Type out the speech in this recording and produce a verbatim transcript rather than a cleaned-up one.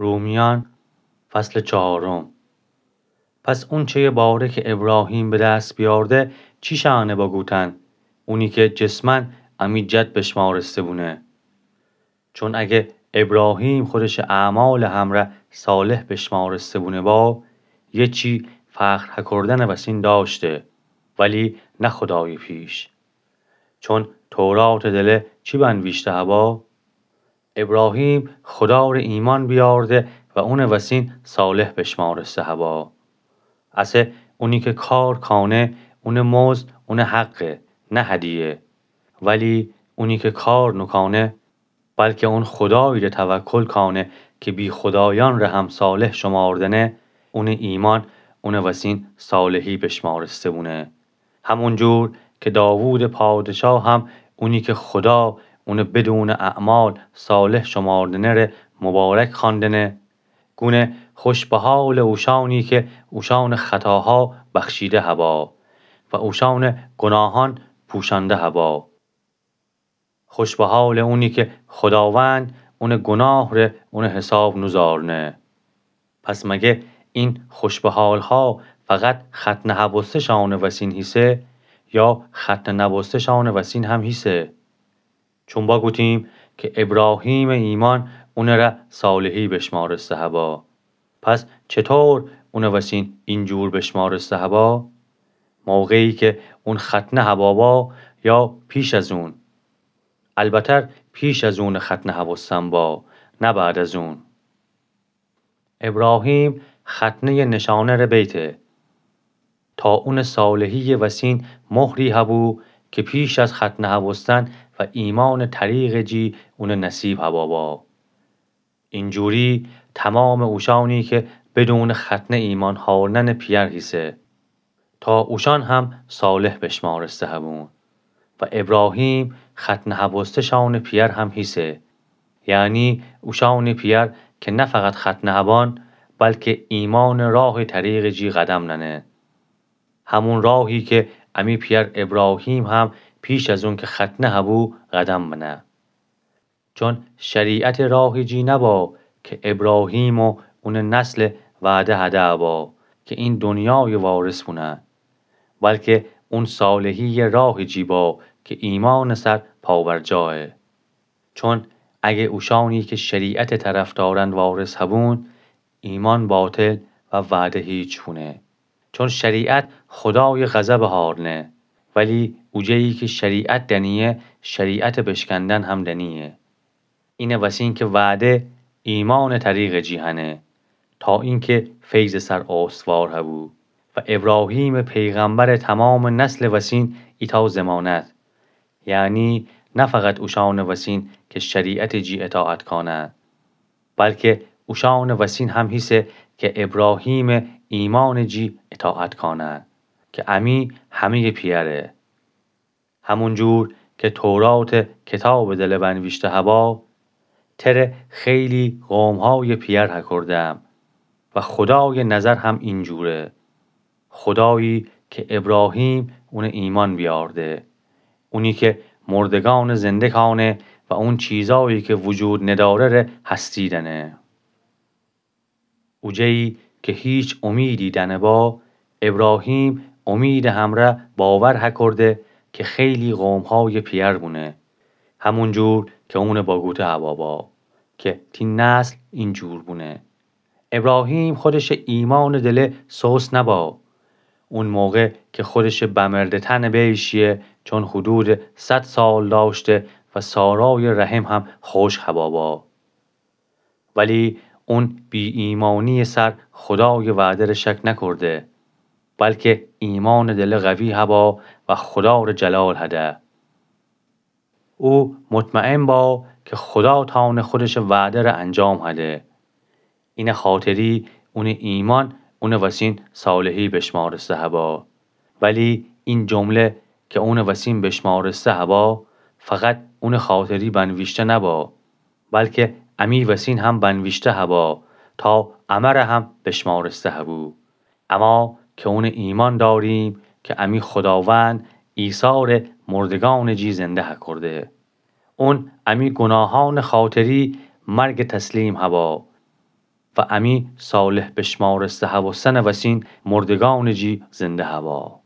رومیأن، فصلٚ چهارم. پس اونچه‌یٚ باره کی ابراهیم به دس بیأرده، چی شأنه بگوتن؟ اونی کی جسماً امی جد بشمارسته بونه. چون اگه ابراهیم خودشٚ اعمالٚ همرأ صالح بشمارسته بونه با، یه چی فخر هکردنٚ وسین دأشته، ولی نه خودایٚ پیش. چون توراتٚ دله چی بنویشته هبا؟ ابراهیم خودا ره ایمأن بیأرده و اونٚ وسین صالح بشمارسته هبا. اسه اونی کی کار کانه، اونٚ مزد اونٚ حقه، نه هدیه. ولی اونی کی کار نوکانه، بلکه اون خودایی ره توکل کانه کی بی‌خودایأن ره هم صالح شماردنه، اونٚ ایمأن اونٚ وسین صالحی بشمارسته بونه. همونجور کی داوودٚ پادشاه هم اونی کی خودا اونٚ بدونٚ اعمال صالح شماردنه ره مبارک خواندنه، گونه خوش به حالٚ اوشأنی کی اوشأنٚ خطاها بخشیده هبا و اوشأنٚ گناهأن پوشأنده هبا. خوش به حالٚ اونی کی خوداوند اونٚ گناه ره اونٚ حساب نوزارنه. پس مگه این خوش به حالها فقط ختنه هبوسته‌شأنٚ وسین هیسه یا ختنه نبوسته‌شأنٚ وسین هم هیسه؟ چون بگوتیم کی ابراهیمٚ ایمأن اونٚ ره صالحی بشمارسته هبا. پس چطور اونٚ وسین اینجور بشمارسته هبا؟ موقعی کی اون ختنه هبا با یا پیش از اون؟ البتر پیش از اونٚ ختنه هبوستن با، نه بعد از اون. ابراهیم ختنه‌یٚ نشانه ره بیته. تا اونٚ صالحی‌یٚ وسین مهری هبو کی پیش از ختنه هبوستن و ایمأنٚ طریقٚ جی اونٚ نصیب هبا با. اینجوری تمامٚ اوشأنی کی بدونٚ ختنه ایمأن هارننٚ پیأر هیسه، تا اوشأن هم صالح بشمارسته هبون. و ابراهیم ختنه هبوسته‌شأنٚ پیأر هم هیسه، یعنی اوشأنٚ پیأر کی نه فقط ختنه هبأن، بلکه ایمأنٚ راهٚ طریقٚ جی قدم نأنه. همون راهی کی امی پیأر ابراهیم هم پیش از اون کی ختنه هبو قدم بنه. چون شریعتٚ راهٚ جی نبا کی ابراهیم و اونٚ نسل وعده هده با کی این دنیایٚ وارث بونن، بلکه اون صالحی‌یٚ راهٚ جی با کی ایمأنٚ سر پابرجایه. چون اگه اوشأنی کی شریعتٚ طرفدارأن وارث هبون، ایمأن باطل و وعده هیچ بونه. چون شریعت خودایٚ غضبٚ هارنه، ولی اوجه‌یی کی شریعت دنیه، شریعتٚ بشکندن هم دنیه. اینٚ وسین کی وعده ایمأنٚ طریقٚ جی هنه، تا اینکه فیضٚ سر استوار هبو و ابراهیمٚ پیغمبرٚ تمامٚ نسلٚ وسین ایتأ ضمانت، یعنی نه فقط اوشأنٚ وسین کی شریعتٚ جی اطاعت کانه، بلکه اوشأنٚ وسین هم هیسه کی ابراهیمٚ ایمأنٚ جی اطاعت کانه، کی امی همه‌یٚ پیأره. همونجور کی توراتٚ کتابٚ دله بنویشته هبا، تره خیلی قومهایٚ پیأر هکردم و خودایٚ نظر هم اینجوره. خودایی کی ابراهیم اونٚ ایمأن بیأرده، اونی کی مردگأن زنده کانه و اون چیزایی کی وجود نداره ره هستی دنه. اوجه‌یی کی هیچ امیدی دنه با، ابراهیم امیدٚ همرأ باور هکرده کی خیلی قومهایٚ پیأر بونه، همونجور کی اونٚ بگوته هبا با کی تی نسل اینجور بونه. ابراهیم خودشٚ ایمأنٚ دله سست نبا. اون موقع کی خودشٚ بمرده تنٚ بیشیه، چون حدودٚ صد سال دأشته و سارایٚ رحم هم خشک هبا با. ولی اون بی‌ایمأنی‌یٚ سر خودایٚ وعده ره شک نکرده، بلکی ایمأنٚ دله قوی هبا و خودا ره جلال هده. او مطمئن با کی خودا تأنه خودشٚ وعده ره انجام هده. اینه خاطری اونٚ ایمأن اونٚ وسین صالحی بشمارسته هبا. ولی این جمله کی اونٚ وسین بشمارسته هبا، فقط اونٚ خاطری بنویشته نبا، بلکی امی وسین هم بنویشته هبا تا امه ره هم بشمارسته هبو. اما کی اونٚ ایمأن داریم کی امی خوداوند عیسی ره مردگأنٚ جی زنده هکرده. اون امی گوناهأنٚ خاطری مرگ تسلیم هبا. و امی صالح بشمارسته هوسنٚ وسین مردگانٚ جی زنده هوا.